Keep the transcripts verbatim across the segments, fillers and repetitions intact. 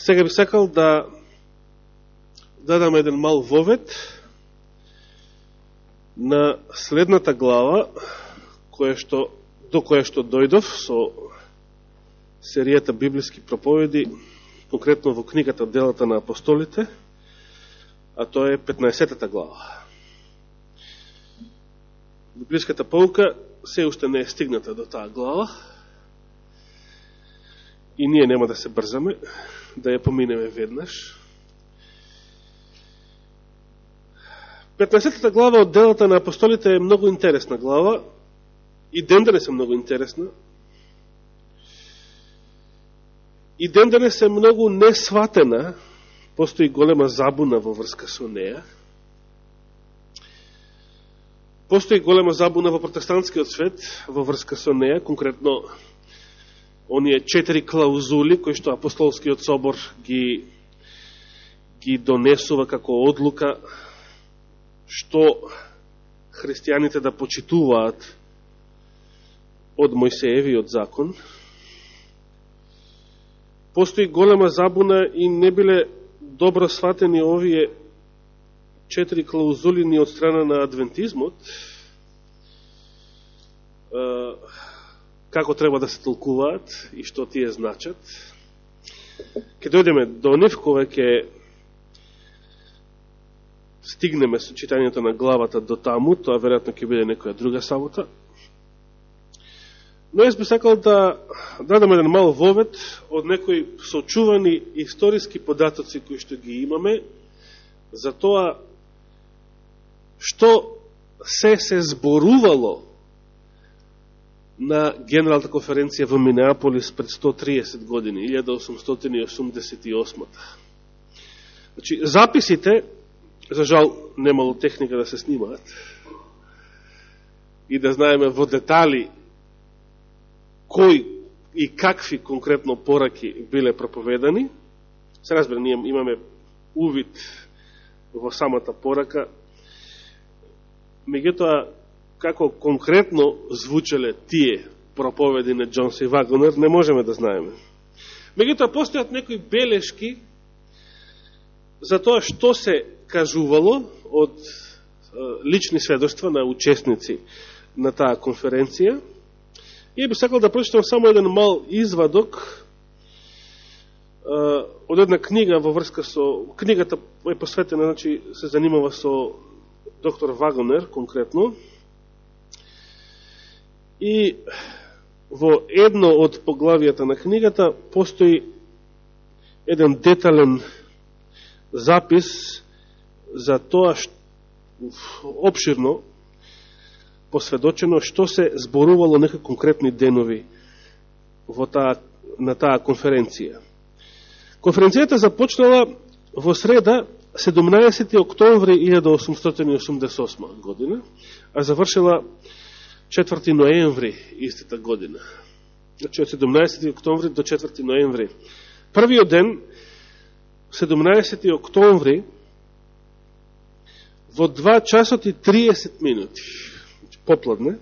Сега би сакал да дадам еден мал вовед на следната глава, која што, до која што дојдов со серијата библиски проповеди, конкретно во книгата Делата на апостолите, а тоа е петнаесеттата глава. Библиската pouка се уште не е стигната до таа глава и ние нема да се брзаме, да ја поминеме веднаш. петнаесеттата глава од Делата на апостолите е многу интересна глава и ден денес е многу интересна. И ден денес е многу несватена, постои голема забуна во врска со неја. Постои голема забуна во протестантскиот свет во врска со неја, конкретно оние четири клаузули кои што апостолскиот собор ги, ги донесува како одлука што христијаните да почитуваат од Мојсеевиот закон. Постои голема забуна и не биле добро сватени овие четири клаузули ни од страна на адвентизмот, како треба да се толкуваат и што тие значат. Ке дојдеме до нив, кога ќе стигнеме со читањето на главата до таму, тоа веројатно ќе биде некоја друга сабота. Но јас би сакал да дадам еден мал вовед од некои сочувани историски податоци кои што ги имаме за тоа што се се зборувало на Генералната конференција во Минеаполис пред сто триесет години, илјада осумстотини и осумдесет и осма. Значи, записите, за жал, немало техника да се снимаат и да знаеме во детали кои и какви конкретно пораки биле проповедани. Се разбира, ние имаме увид во самата порака, меѓутоа, како конкретно звучеле тие проповеди на Джон Си Вагонер, не можеме да знаеме. Меѓутоа, постојат некои белешки за тоа што се кажувало од лични сведоштва на учесници на таа конференција. И би сакал да прочитам само еден мал извадок од една книга во врска со... Книгата е посветена, значи, се занимава со доктор Вагонер, конкретно. И во едно од поглавијата на книгата постои еден детален запис за тоа што, обширно посведочено што се зборувало некои конкретни денови во таа, на таа конференција. Конференцијата започнала во среда седумнаесети октомври илјада осумстотини и осумдесет и осма година, а завршила четврти ноември истата година. Значи од седумнаесети октомври до четврти ноември. Првиот ден, седумнаесети октомври, во два часот и триесет минути, попладне,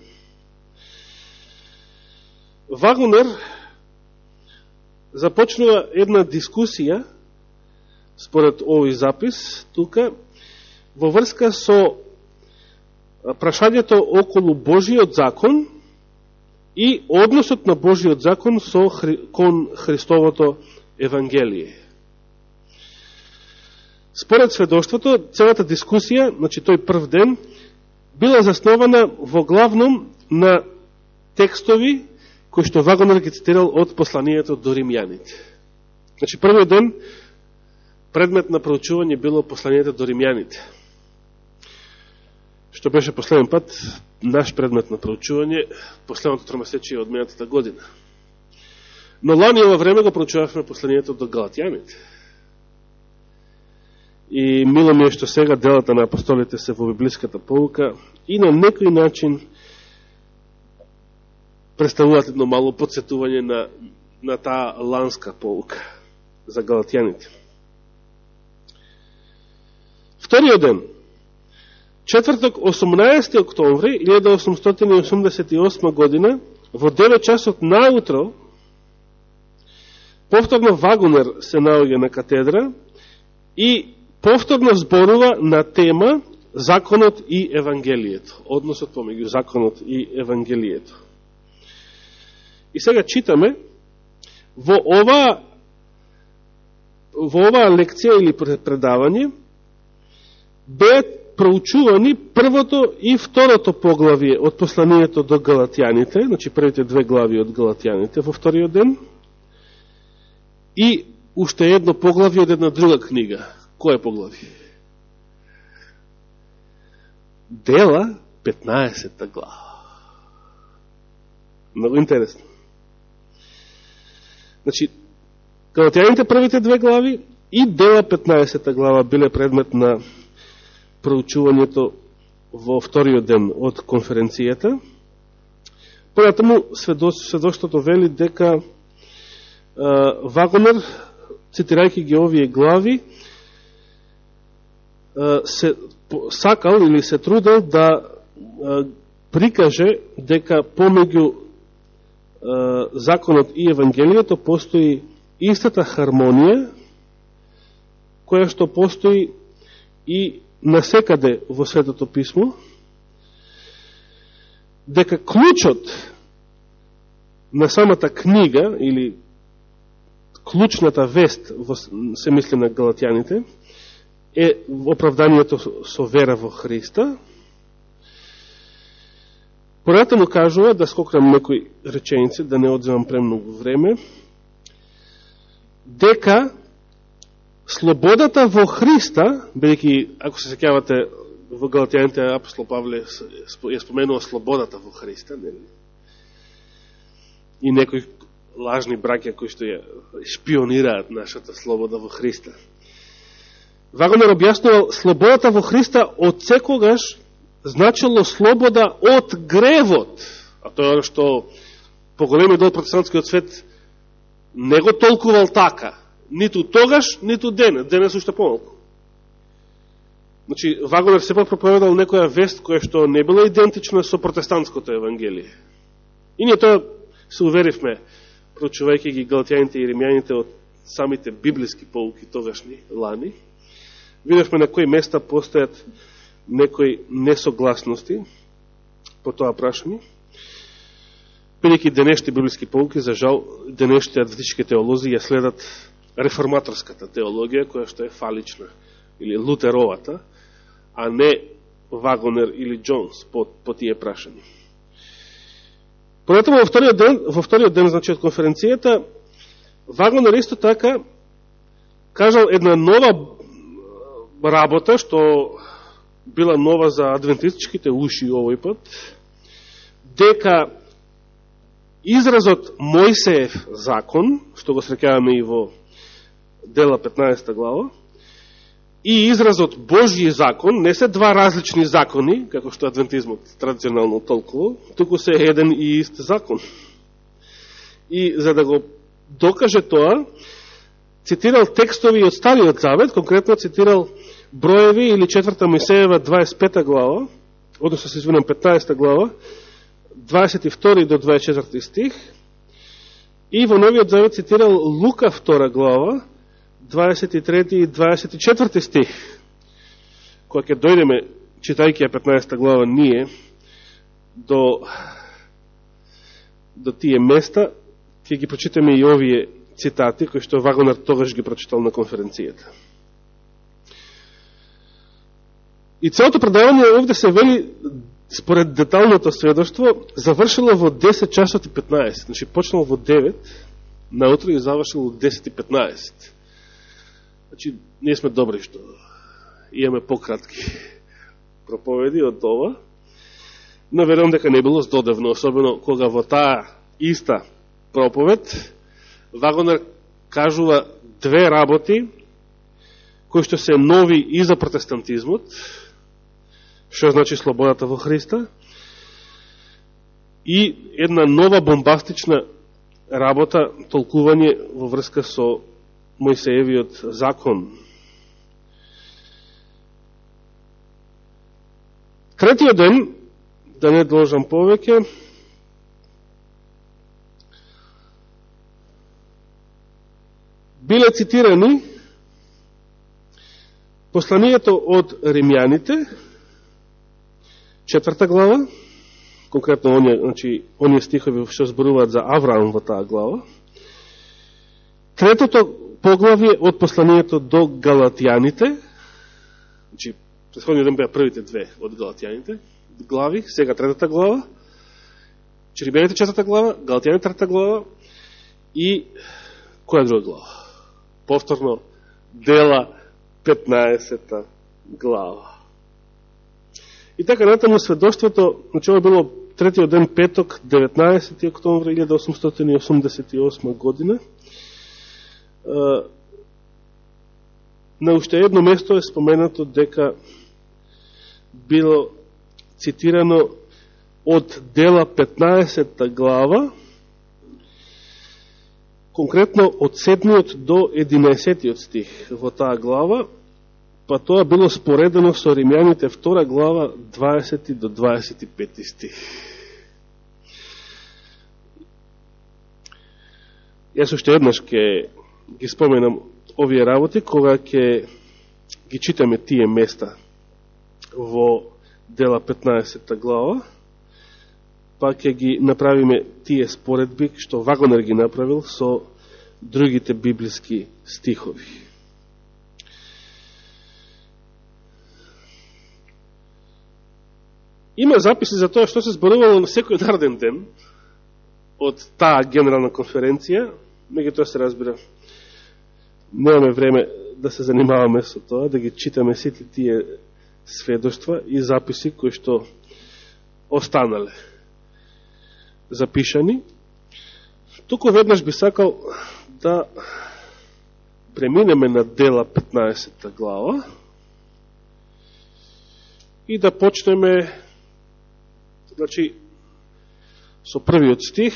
Вагонер започнува една дискусија, според овој запис, тука, во врска со прашањето околу Божиот закон и односот на Божиот закон со Хри... кон Христовото Евангелие. Според сведоштвото, целата дискусија, значи тој прв ден, била заснована во главном на текстови кои што Вагонер ги цитирал од посланието до римјаните. Значи првиот ден предмет на проучување било посланието до римјаните, што беше последен пат наш предмет на проучување последното тромесечие од минатата година. Но лани ова време го проучувавме посланието до галатјаните. И мило ми е што сега делата на апостолите се во библиската pouка и на некој начин представуваат едно мало подсетување на, на таа ланска pouка за галатјаните. Вториот ден, четврток, осумнаесети октомври илјада осумстотини и осумдесет и осма година, во девет часот наутро, повторно Вагонер се наоѓа на катедра и повторно зборува на тема законот и евангелието, односот помеѓу законот и евангелието. И сега читаме во ова во оваа лекција или предавање беа проучувани првото и второто поглавие од посланието до Галатјаните, значи првите две глави од Галатјаните во вториот ден, и уште едно поглавие од една друга книга. Кој е поглавие? Дела, петнаесетта глава. Много интересно. Значи, Галатјаните првите две глави и Дела, петнаесетта глава, биле предмет на проучувањето во вториот ден од конференцијата. Понатаму сведоштвото вели дека Вагонер, цитирајќи ги овие глави, се сакал или се трудел да прикаже дека помеѓу законот и евангелието постои истата хармонија која што постои и насекаде во Светото писмо, дека клучот на самата книга или клучната вест, се мисли на Галатјаните, е оправданието со вера во Христа. Понатаму кажува, да скокнам некои реченици, да не одземам премногу време, дека слободата во Христа, бидејќи, ако се сеќавате, во Галатјаните апостол Павле ја споменува слободата во Христа, нели? И некои лажни браќа кои што ја шпионираат нашата слобода во Христа. Вагонер објаснувал, слободата во Христа од секогаш значило слобода од гревот, а тоа е што поголемиот дел протестантскиот свет не го толкувал така, ниту тогаш, ниту денес, денес уште помалку. Значи, Вагонер сепак проповедал некоја вест која што не била идентична со протестантското евангелие. И ние тоа се уверивме, проучувајќи ги Галатјаните и Римјаните од самите библиски поуки тогашни лани. Видевме на кои места постојат некои несогласности по тоа прашање. Бидејќи денешните библиски поуки, за жал, денешните адвентички теолози ја следат реформаторската теологија, која што е фалична, или лутеровата, а не Вагонер или Джонс по, по тие прашања. Понатаму во вториот ден, во вториот ден, значи, од конференцијата, Вагонер исто така кажал една нова работа, што била нова за адвентистичките уши овој пат, дека изразот Мојсеев закон, што го среќаваме и во Дела петнаесетта глава, и изразот Божји закон не се два различни закони, како што адвентизмот традиционално толкува, туку се еден и ист закон. И за да го докаже тоа, цитирал текстови од Стариот Завет, конкретно цитирал Броеви или четврта Мојсеева дваесет и пета глава, односно се извинам петнаесетта глава, дваесет и втори до дваесет и четврти стих, и во Новиот Завет цитирал Лука втора глава, дваесет и трети и дваесет и четврти стих. Кога ќе дојдеме, читајќи ја петнаесетта глава, ние до, до тие места, ќе ги прочитаме и овие цитати, кои што Вагонер тогаш ги прочитал на конференцијата. И целото предавање овде се вели, според деталното сведоштво, завршило во десет часот и петнаесет. Значи, почнал во девет, наутро и завршил во десет и петнаесет. Значи, ние сме добри што имаме пократки проповеди од ова, но верувам дека не било здодевно, особено кога во таа иста проповед Вагонер кажува две работи кои што се нови и за протестантизмот, што значи слободата во Христа, и една нова бомбастична работа, толкување во врска со Мојсеевиот закон. Третиот ден, да не должам повеќе, биле цитирани посланието од римјаните, четврта глава, конкретно оние, значи, оние стихови што зборуваат за Авраам во таа глава, третото поглавие од посланието до Галатјаните, значи, предходниот ден беа првите две од Галатјаните глави, сега третата глава, Римјаните четврта глава, Галатјаните трета глава и која друга глава? Повторно, Дела петнаесета глава. И така, натаму сведоштвото, значи ова било третиот ден петок, деветнаесети октомври илјада осумстотини осумдесет и осма година. На уште едно место е споменато дека било цитирано од Дела петнаесета глава, конкретно од седмиот до единаесетиот стих во таа глава, па тоа било споредено со Римјаните втора глава, дваесети до дваесет и пети стих. Јас уште еднаш ќе ги споменам овие работи, кога ќе ги читаме тие места во Дела петнаесета глава, па ќе ги направиме тие споредби што Вагонер ги направил со другите библиски стихови. Има записи за тоа што се зборувало на секој нареден ден од таа генерална конференција, меѓутоа се разбира, немаме време да се занимаваме со тоа, да ги читаме сите тие сведоштва и записи кои што останале запишани. Туку веднаш би сакал да преминеме на Дела петнаесета глава и да почнеме, значи, со првиот стих,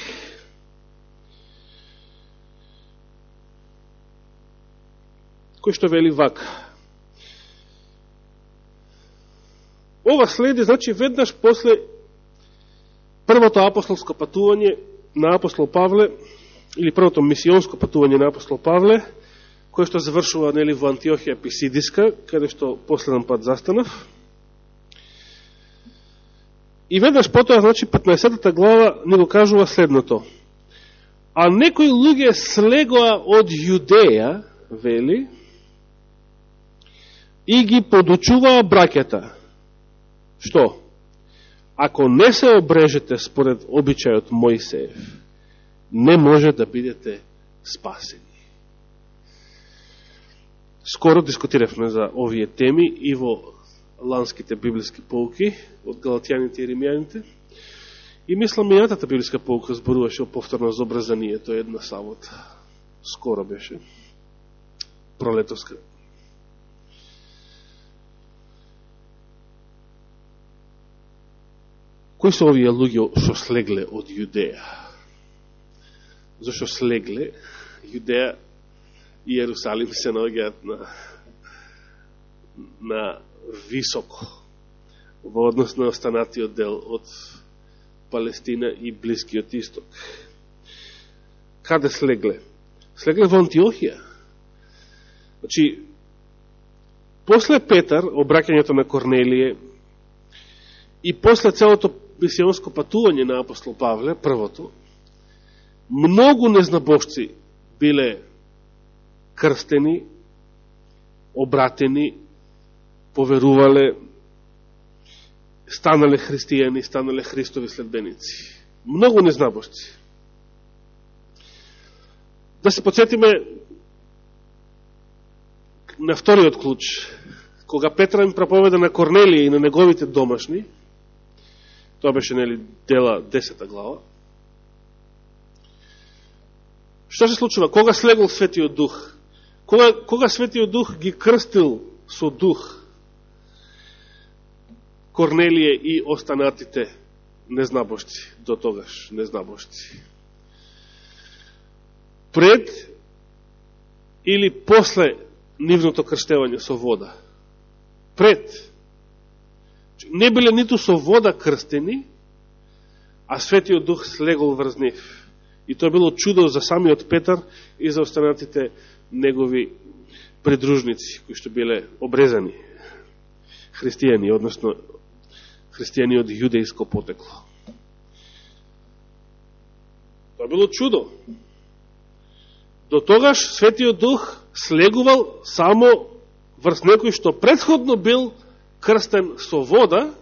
кој што вели вака. Ова следи, значи, веднаш после првото апостолско патување на апостол Павле, или првото мисионско патување на апостол Павле, кое што завршува, нели, во Антиохија Писидиска, каде што последен пат застанав. И веднаш потоа, значи, петнаесетата глава ни го кажува следното. А некои луѓе слегоа од Јудеја, вели, и ги подучуваа браќата. Што? Ако не се обрежете според обичајот Мојсеев, не може да бидете спасени. Скоро дискутиравме за овие теми и во ланските библиски поуки од Галатјаните и Римјаните. И мислам, минатата библиска поука зборуваше повторно за обрезанието една сабота. Скоро беше. Пролетовска. Кои се овие луѓе што слегле од Јудеја? Зашо слегле? Јудеја и Јерусалим се наоѓаат на, на високо во однос на останатиот дел од Палестина и Блискиот Исток. Каде слегле? Слегле во Антиохија. Значи, после Петар, обраќањето на Корнелие, и после целото мисионско патување на апостол Павле, првото, многу незнабожци биле крстени, обратени, поверувале, станале христијани, станале Христови следбеници. Многу незнабожци. Да се подсетиме на вториот клуч, кога Петра им проповеда на Корнелија и на неговите домашни, тоа беше, нели, Дела десета глава. Што се случува? Кога слегол Светиот Дух? Кога, кога Светиот Дух ги крстил со Дух Корнелие и останатите незнабожци, до тогаш незнабожци? Пред или после нивното крштевање со вода? Пред. Не биле ниту со вода крстени, а Светиот Дух слегол врз нив И тоа било чудо за самиот Петар и за останатите негови придружници, кои што биле обрезани христијани, односно христијани од јудејско потекло. Тоа било чудо. До тогаш Светиот Дух слегувал само врз некој што претходно бил крстен со вода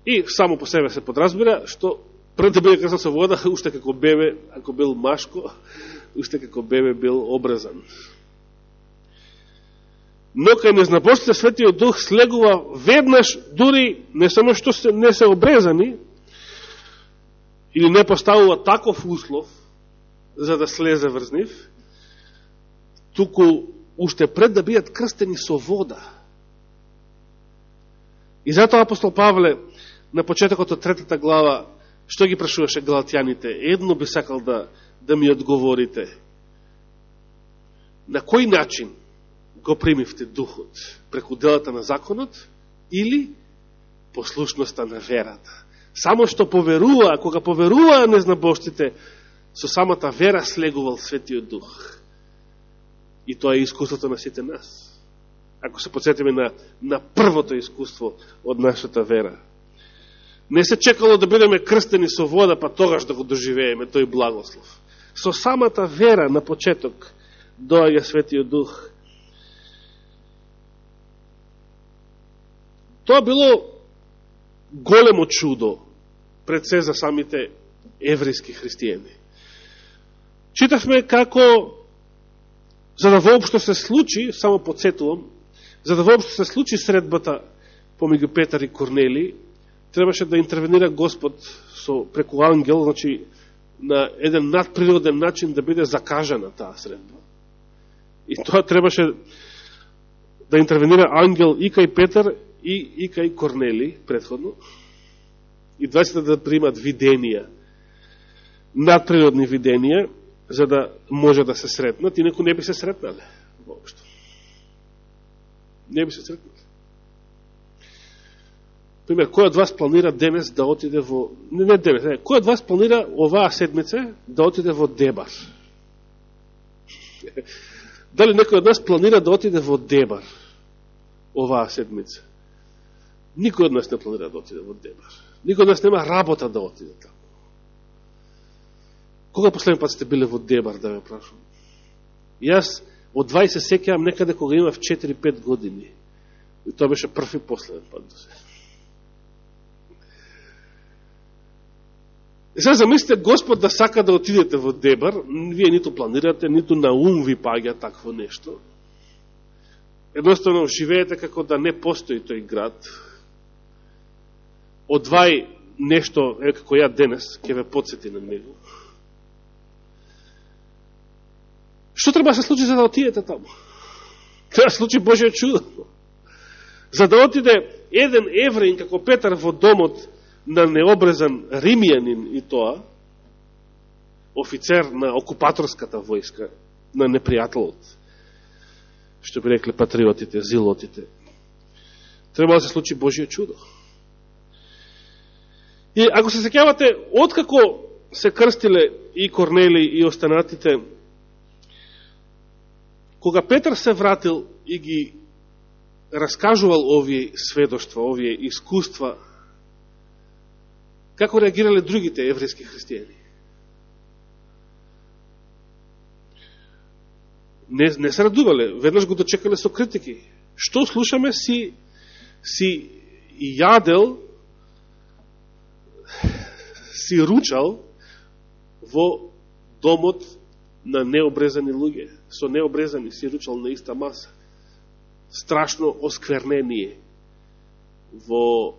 и само по себе се подразбира, што пред да биде крстен со вода, уште како бебе, ако бил машко, уште како бебе бил обрезан. Но кај незнабожците Светиот Дух слегува веднаш, дури не само што се, не се обрезани, или не поставува таков услов за да слезе врз нив, туку уште пред да бидат крстени со вода. И затоа апостол Павле на почетокот од третата глава, што ги прашуваше галатјаните? Едно би сакал да, да ми одговорите. На кој начин го примивте духот? Преку делата на законот или послушноста на верата? Само што поверува, кога поверуваа незнабожците, со самата вера слегувал Светиот Дух. И тоа е искуството на сите нас. Ако се подсетиме на, на првото искуство од нашата вера. Не се чекало да бидеме крстени со вода, па тогаш да го доживееме тој благослов. Со самата вера на почеток доаѓа Светиот Дух. Тоа било големо чудо пред се за самите еврејски христијани. Читавме како, за да воопшто се случи, само подсетувам, за да воопшто се случи средбата помеѓу Петар и Корнели, требаше да интервенира Господ со, преку ангел, значи на еден надприроден начин да биде закажана таа средба. И тоа требаше да интервенира ангел и кај Петар и, и кај Корнели предходно. И двајцата да примат виденија, надприродни виденија, за да може да се сретнат, инаку не би се сретнале воопшто. Не би се сретнале. Пример, кој од вас планира денес да отиде во... Не, не денес, не. Кој од вас планира оваа седмица да отиде во Дебар? Дали некој од нас планира да отиде во Дебар оваа седмица? Никој од нас не планира да отиде во Дебар. Никој од нас нема работа да отиде таму. Кога последен пат сте биле во Дебар, да ме прашувам? Јас од двајсет сеќавам некаде кога имав четири-пет години. И тоа беше прв и последен пат до се. И сега замислите Господ да сака да отидете во Дебар, вие ниту планирате, ниту на ум ви паѓа такво нешто. Едноставно живеете како да не постои тој град. Одвај нешто, е како ја денес, ќе ве подсети на него. Што треба да се случи за да отидете таму? Треба да се случи Божјо чудо. За да отиде еден евреин како Петар во домот на необрезан римјанин и тоа, офицер на окупаторската војска, на непријателот, што би рекле патриотите, зилотите, треба да се случи Божјо чудо. И ако се сеќавате, откако се крстиле и Корнели и останатите, кога Петар се вратил и ги раскажувал овие сведоштва, овие искуства, како реагирале другите еврејски христијани? Не, не се радувале, веднаш го дочекале со критики. Што слушаме, си, си јадел, си ручал во домот на необрезани луѓе. Со необрезани си ручал на иста маса. Страшно осквернение во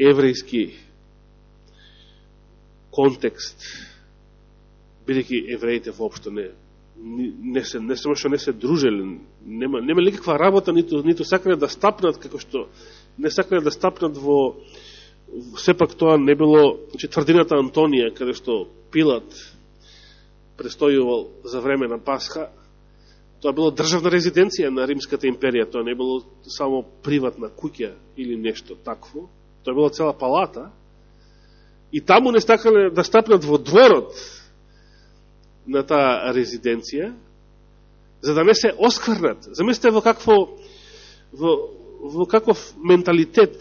еврејски контекст, бидејќи евреите воопшто не не се не само што не се дружеле, нема нема никаква работа, ниту ниту сакале да стапнат, како што не сакале да стапнат во, сепак тоа не било, значи тврдината Антонија, каде што Пилат престојувал за време на Пасха, тоа било државна резиденција на Римската империја, тоа не било само приватна куќа или нешто такво. Тоа било цела палата, и таму не стакале да стапнат во дворот на таа резиденција, за да не се оскврнат. Замислете во какво во, во каков менталитет,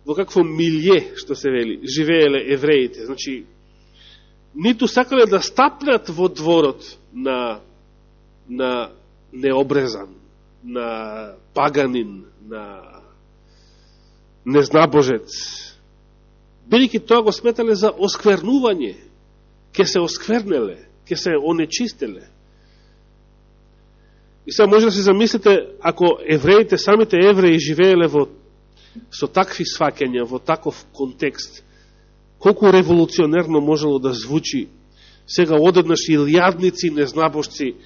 во какво милје, што се вели, живееле евреите. Значи, ниту сакале да стапнат во дворот на, на необрезан, на паганин, на незнабожец. Бидејќи тоа го сметале за осквернување, ке се осквернеле, ке се онечистеле. И сега може да се замислите, ако евреите, самите евреи живееле во, со такви сваќања, во таков контекст, колку револуционерно можело да звучи сега одеднаш илјадници незнабожци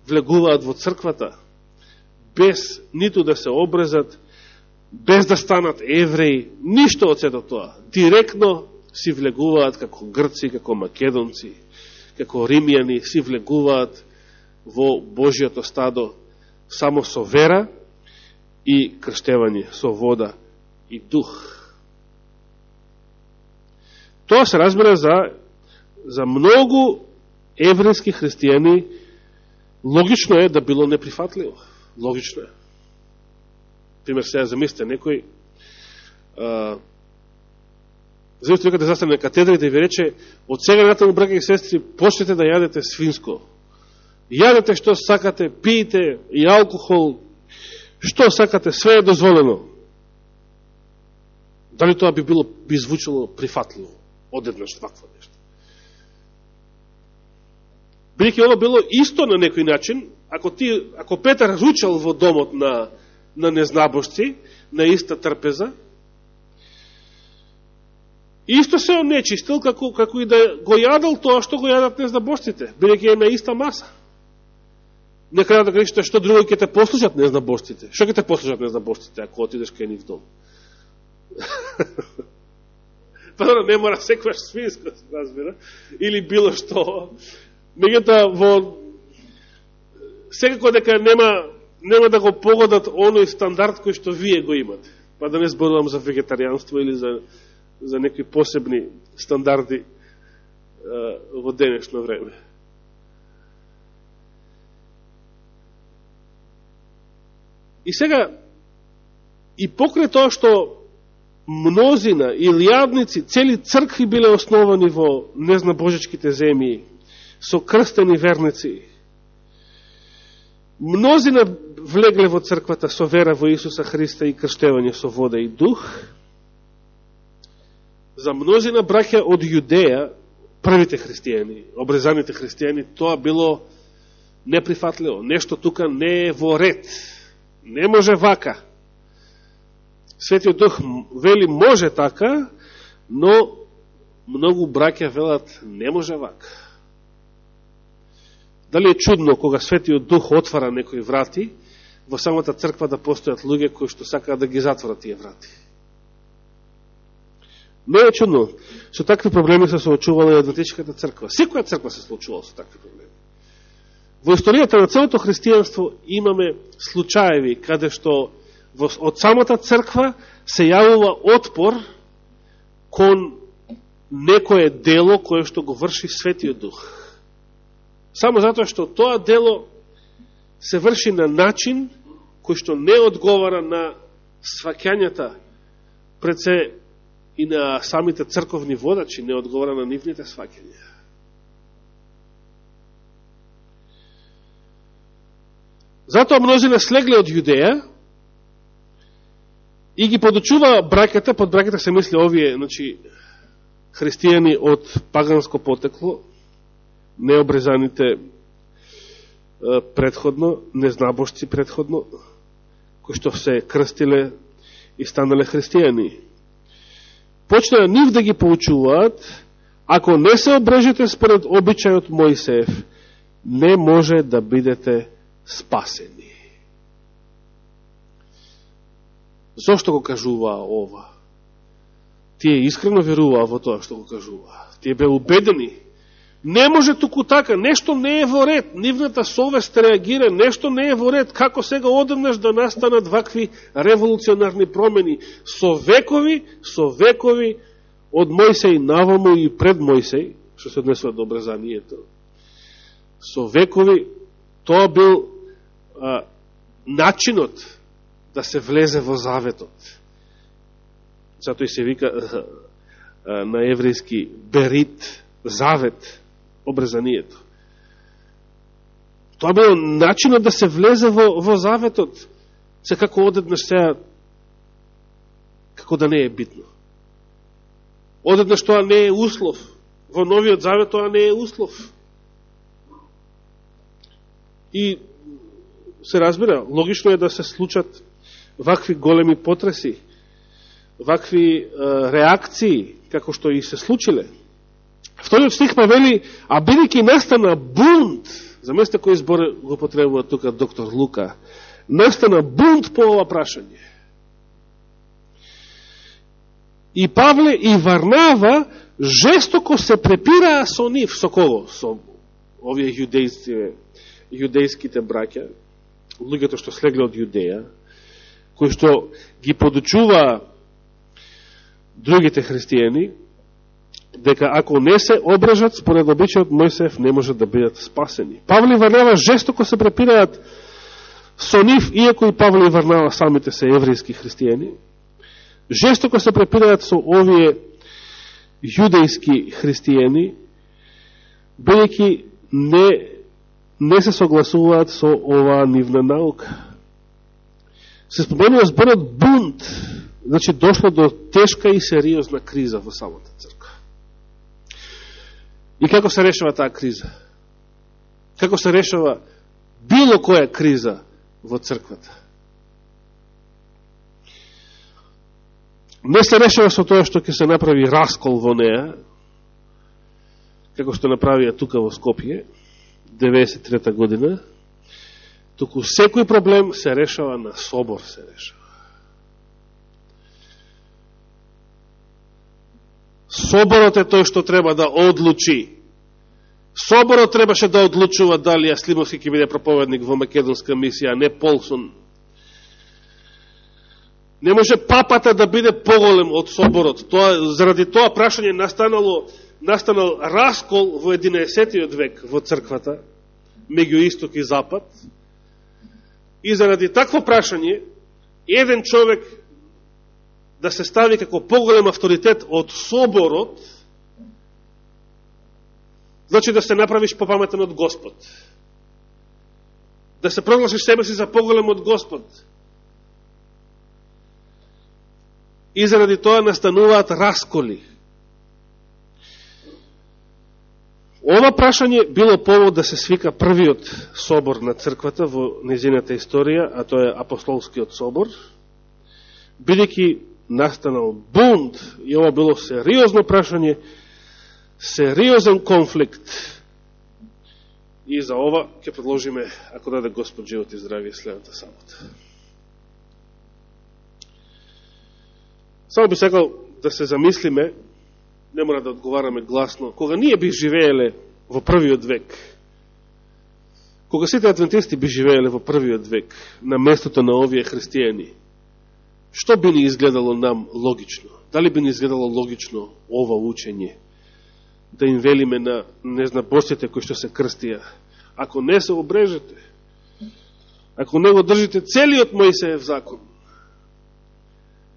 влегуваат во црквата, без ниту да се обрезат, без да станат евреи, ништо од сето тоа. Директно си влегуваат како грци, како македонци, како римјани, си влегуваат во Божиото стадо само со вера и крштевање, со вода и дух. Тоа се разбира за, за многу еврејски христијани, логично е да било неприфатливо. Логично е. Пример, сега замислите, некој замислите некој да застане на катедра и да ви рече, од сега натаму, браќа и сестри, почнете да јадете свинско. Јадете што сакате, пиете и алкохол, што сакате, све е дозволено. Дали тоа би било, би звучало прифатливо, одеднаш вакво нешто? Бидејќи ова било исто на некој начин, ако ти, ако Петар ручал во домот на на незнабожци, на иста трпеза, исто се онечистил, како, како и да го јадал тоа што го јадат незнабожците, бидејќи е на иста маса. Не крајот да кажете што друго ќе те послушат незнабожците. Што ќе те послушат незнабожците, ако отидеш кај нив дом? Па да не мора секваш свинско, разбира, или било што. Меѓутоа, во секако дека нема нема да го погодат оној стандард кој што вие го имате. Па да не зборувам за вегетаријанство или за, за некои посебни стандарди е, во денешно време. И сега, и покрај тоа што мнозина, илјадници, цели цркви биле основани во незнабожечките земји, со крстени верници, мнозина влегле во црквата со вера во Исуса Христа и крштевање со вода и дух. За мнозина браќа од Јудеја, првите христијани, обрезаните христијани, тоа било неприфатливо. Нешто тука не е во ред. Не може вака. Светиот Дух вели може така, но многу браќа велат не може вака. Дали е чудно кога Светиот Дух отвара некои врати, во самата црква да постојат луѓе кои што сакаат да ги затворат тие врати? Не е чудно. Со такви проблеми се соочувала и Адвентичката црква. Секоја црква се соочувала со такви проблеми. Во историјата на целото христијанство имаме случаеви каде што од самата црква се јавува отпор кон некое дело кое што го врши Светиот Дух. Само затоа што тоа дело се врши на начин кој што не одговара на сваќањата пред се и на самите црковни водачи, не одговара на нивните сваќања. Затоа мнозина слегле од Јудеја и ги подучува браќата, под браќата се мисли овие, значи, христијани од паганско потекло, необрезаните предходно, незнабожци предходно, кои што се крстиле и станале христијани. Почнаа нив да ги поучуваат, ако не се обрежете според обичајот Мојсеев, не може да бидете спасени. Зошто го кажуваа ова? Тие искрено веруваа во тоа што го кажуваа. Тие беа убедени Не може туку така, нешто не е во ред, нивната совест реагира, нешто не е во ред, како сега одеднаш да настанат вакви револуционарни промени, со векови, со векови, од Мојсей наваму и пред Мојсей, што се однесува до обрезанието, со векови, тоа бил а, начинот да се влезе во заветот. Затоа и се вика а, а, на еврејски берит, завет, обрезанието. Тоа бил начинот да се влезе во, во заветот. Се како одеднаш сега, како да не е битно. Одеднаш тоа не е услов. Во новиот завет тоа не е услов. И се разбира, логично е да се случат вакви големи потреси, вакви е, реакции, како што и се случиле. Вториот стих па вели, а бидејќи настана бунт, заместе кој збор го потребува тука доктор Лука, настана бунт по ова прашање. И Павле и Варнава жестоко се препираа со нив, со кого? Со овие јудејци, јудејските браќа, луѓето што слегле од Јудеја, кои што ги подучуваа другите христијани, дека ако не се обрежат според обичајот Мојсеев, не можат да бидат спасени. Павле и Варнава жестоко се препираат со нив, иако и Павле и Варнава самите се еврејски христијани, жестоко се препираат со овие јудејски христијани, бидејќи не, не се согласуваат со оваа нивна наука. Се споменува зборот бунт, значи дошло до тешка и сериозна криза во самата црква. И како се решава таа криза? Како се решава било која криза во црквата? Не се решава со тоа што ќе се направи раскол во неа, како што направија тука во Скопје, деветдесет и трета година, туку секој проблем се решава на собор се решава. Соборот е тој што треба да одлучи. Соборот требаше да одлучува дали Аслимовски ќе биде проповедник во македонска мисија, а не Полсон. Не може папата да биде поголем од соборот. Тоа, заради тоа прашање настанало, настанал раскол во единаесеттиот век во црквата, меѓу исток и запад. И заради такво прашање, еден човек да се стави како поголем авторитет од соборот, значи да се направиш попаметен од Господ. Да се прогласиш себе си за поголем од Господ. И заради тоа настануваат расколи. Ова прашање било повод да се свика првиот собор на црквата во незината историја, а тоа е Апостолскиот собор, бидејќи настанал бунт, и ова било сериозно прашање, сериозен конфликт. И за ова ќе предложиме, ако даде Господ живот и здравие, следната сабота. Само би сакал да се замислиме, не мора да одговараме гласно, кога ние би живееле во првиот век, кога сите адвентисти би живееле во првиот век, на местото на овие христијани, што би ни изгледало нам логично? Дали би ни изгледало логично ова учење? Да им велиме на незнабожците кои што се крстија, ако не се обрежете, ако не го држите целиот Мојсеев закон,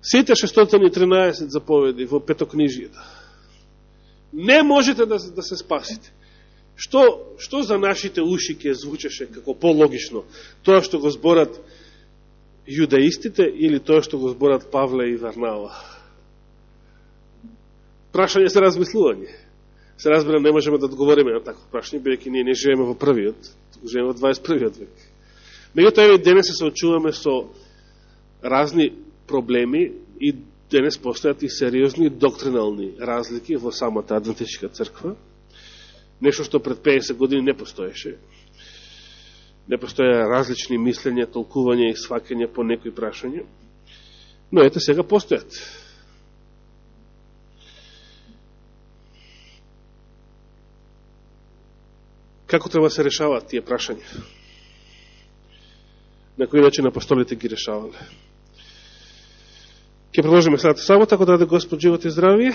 сите шестстотини и тринаесет заповеди во петокнижието, не можете да, да се спасите. Што, што за нашите уши ќе звучеше како пологично? Тоа што го зборат јудаистите или тоа што го зборат Павле и Варнава? Прашање за размислување. Се разбира, не можеме да одговориме на такво прашање, бидејќи ние не живееме во првиот, туку живееме во дваесет и првиот век. Меѓутоа, еве денес се соочуваме со разни проблеми и денес постојат и сериозни доктринални разлики во самата адвентистичка црква. Нешто што пред педесет години не постоеше. Не постоја различни мислења, толкувања и сваќања по некои прашања. Но ете сега постојат. како треба да се решаваат тие прашања. На кој начин апостолите ги решавале. Ке продолжиме следната сабота, ако даде Господ живот и здравие.